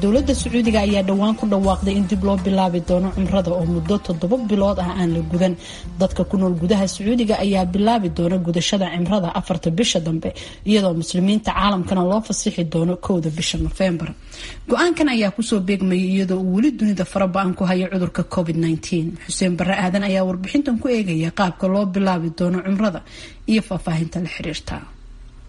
Dowladda Sacuudiga ayaa dhowaan ku dhawaaqday in dib loo bilaabi doono cumrada oo muddo 7 bilood ah aan la gudan. Dadka ku nool gudaha Sacuudiga ayaa bilaabi doona gudashada cimrada 4-ta bisha dambe, iyadoo Muslimiinta caalamkana loo fasixi doono 1-da bisha Nofembar. Go-aankan ayaa kusoo beegmayay iyadoo uu weli dunida fara ba'an ku hayo cudurka COVID-19. Xuseen Bare Aadan ayaa warbixintan ku eegaya qaabka loo bilaabi doono cumrada iyo faahfaahinta la xiriirta.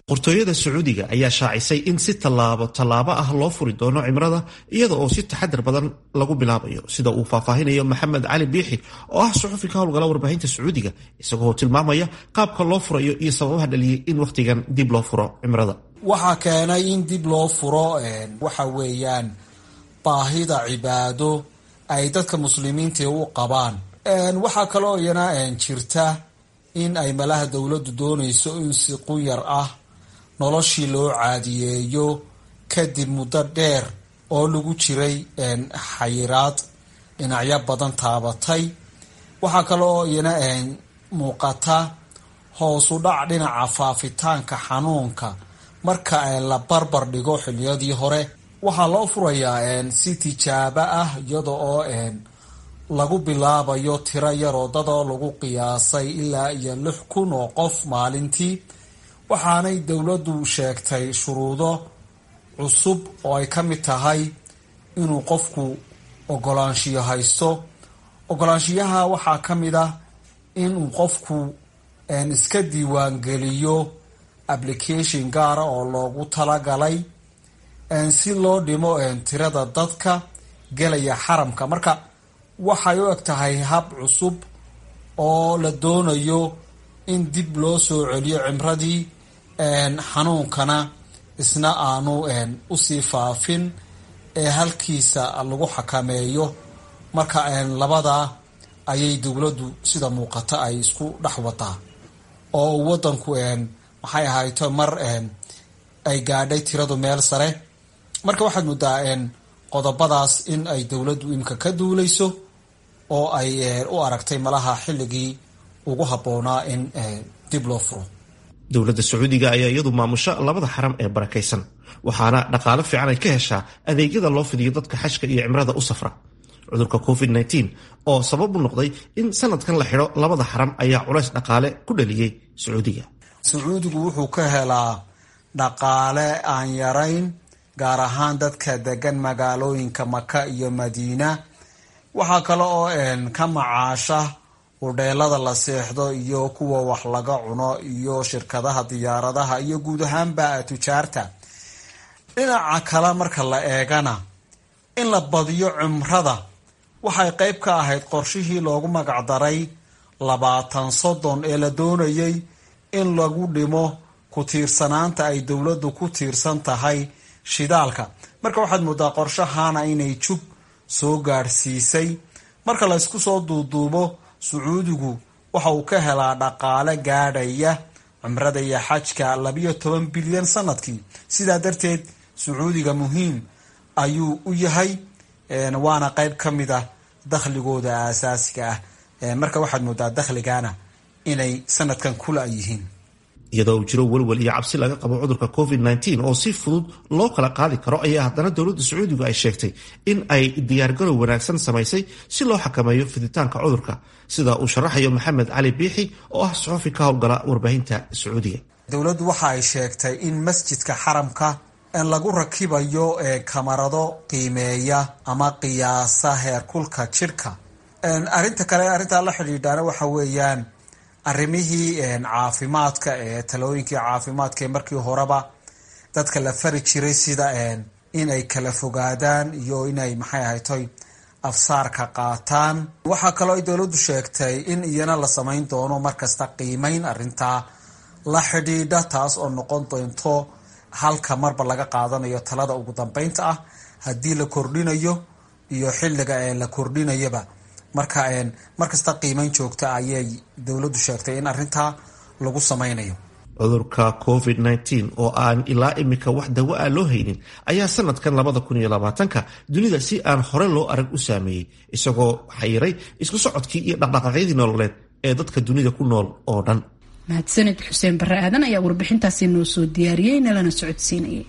Boqortooyada Sacuudiga ayaa shaacisay in si tallaabo tallaabo ah loo furi doono cimrada, iyada oo si taxadar badan lagu bilaabayo, sida uu faahfaahinayo Maxamed Cali Biixi oo ah suxufi ka howlgala warbaahinta Sacuudiga, isagoo tilmaamaya qaabka loo furayo iyo sababaha dhaliyay in wakhtigan dib loo furo cimrada. Waxaa keenay in dib loo furo waxa weeyaan baahida cibaado ay dadka Muslimiinta u qabaan. Waxaa kaloo iyana jirta in ay malaha dowladdu doonayso in si qunyar ah noloshii loo caadiyeeyo kadib muddo dheer oo lagu jiray xayiraad dhinacyo badan taabatay. Waxaa kaloo iyana muuqata hoosu dhac dhinaca faafitaanka xanuunka marka la barbar dhigo xilliyadii hore. Waxaa loo furayaa si tijaabo ah, iyada oo lagu bilaabayo tiro yaroo dadoo lagu qiyaasay ilaa iyo 6000 oo qof maalintii. Waxaanay dowladdu sheegtay shuruudo cusub oo ay ka mid tahay inuu qofku ogolaanshiyo haysto. Ogolaanshiyaha waxaa ka mid ah inuu qofku iska diiwaangeliyo application gaara oo loogu talagalay si loo dhimo tirada dadka gelaya xaramka. Marka waxay u eg tahay hab cusub oo la doonayo in dib loo soo celiyo cimradii, xanuunkana isna aanu usii faafin ee halkiisa lagu xakameeyo. Marka labadaa ayay dowladdu sida muuqata ay isku dhex wadaa oo wadanku maxay ahayto mar ay gaadhay tiradu meel sare. Marka waxaad moodaa qodobadaas in ay dowladdu imika ka duuleyso oo ay u aragtay malaha xilligii ugu habboonaa in dib loo furo. Dowladda Sacuudiga ayaa iyadu maamusha labada xaram ee barakaysan, waxaana dhaqaalo fiican ay ka heshaa adeegyada loo fidiyo dadka xajka iyo cimrada u safra. Cudurka COVID-19 oo sabab u noqday in sanadkan la xidho labada xaram ayaa culays dhaqaale ku dhaliyey Sacuudiga. Sacuudigu wuxuu ka helaa dhaqaale aan yarayn, gaar ahaan dadka degan magaalooyinka Maka iyo Madiina. Waxaa kale oo ka macaasha hudheelada la seexdo iyo kuwa wax laga cuno iyo shirkadaha diyaaradaha iyo guud ahaanba tujaarta. Dhinaca kale marka la eegana, in la badiyo cumrada waxay qayb ka ahayd qorshihii loogu magacdaray 20-30 ee la doonayay in lagu dhimo ku tiirsanaanta ay dowladdu ku tiirsan tahay shidaalka. Marka waxaad moodaa qorshahana inay jug soo gaadhsiisay. Marka la isku soo duuduubo, Sacuudigu waxa uu ka helaa dhaqaale gaadhaya cumrada iyo xajka 12 bilyan sanadkii. Sidaa darteed Sacuudiga muhiim ayuu u yahay, waana qayb ka mid ah dakhligooda aasaasiga ah. Marka waxaad moodaa dakhligana inay sanadkan kula yihiin. Iyadoo uu jiro welwel iyo cabsi laga qabo cudurka COVID-19 oo si fudud loo kala qaadi karo, ayaa haddana dowladda Sacuudigu ay sheegtay in ay diyaargarow wanaagsan samaysay si loo xakameeyo fiditaanka cudurka, sida uu sharaxayo Maxamed Cali Biixi oo ah suxufi ka howlgala warbaahinta Sacuudiga. Dowladdu waxa ay sheegtay in masjidka xaramka lagu rakibayo kamarado qiimeeya ama qiyaasa heerkulka jidhka. Arrinta kale arrintaa la xidhiidhaana waxa weeyaan arrimihii caafimaadka ee talooyinkii caafimaadka ee markii horeba dadka la fari jiray, sida in ay kala fogaadaan iyo inay, maxay ahaytoy, afsaarka qaataan. Waxaa kaloo ay dowladdu sheegtay in iyana la samayn doono markasta qiimeyn arrintaa la xidhiidha, taas oo noqon doonto halka marba laga qaadanayo talada ugu dambeynta ah haddii la kordhinayo iyo xilliga ee la kordhinayaba. Marka markasta qiimeyn joogta ayay dowladdu sheegtay in arrintaa lagu samaynayo. Cudurka COVID-19 oo aan ilaa imika wax dawo ah loo haynin ayaa sanadkan 2020-ka dunida si aan hore loo arag u saameeyey, isagoo xayiray isku socodkii iyo dhaqdhaqaaqyadii nololeed ee dadka dunida ku nool oo dhan. Mahadsanid Xuseen Bare Aadan ayaa warbixintaasi noo soo diyaariyey nalana socodsiinayay.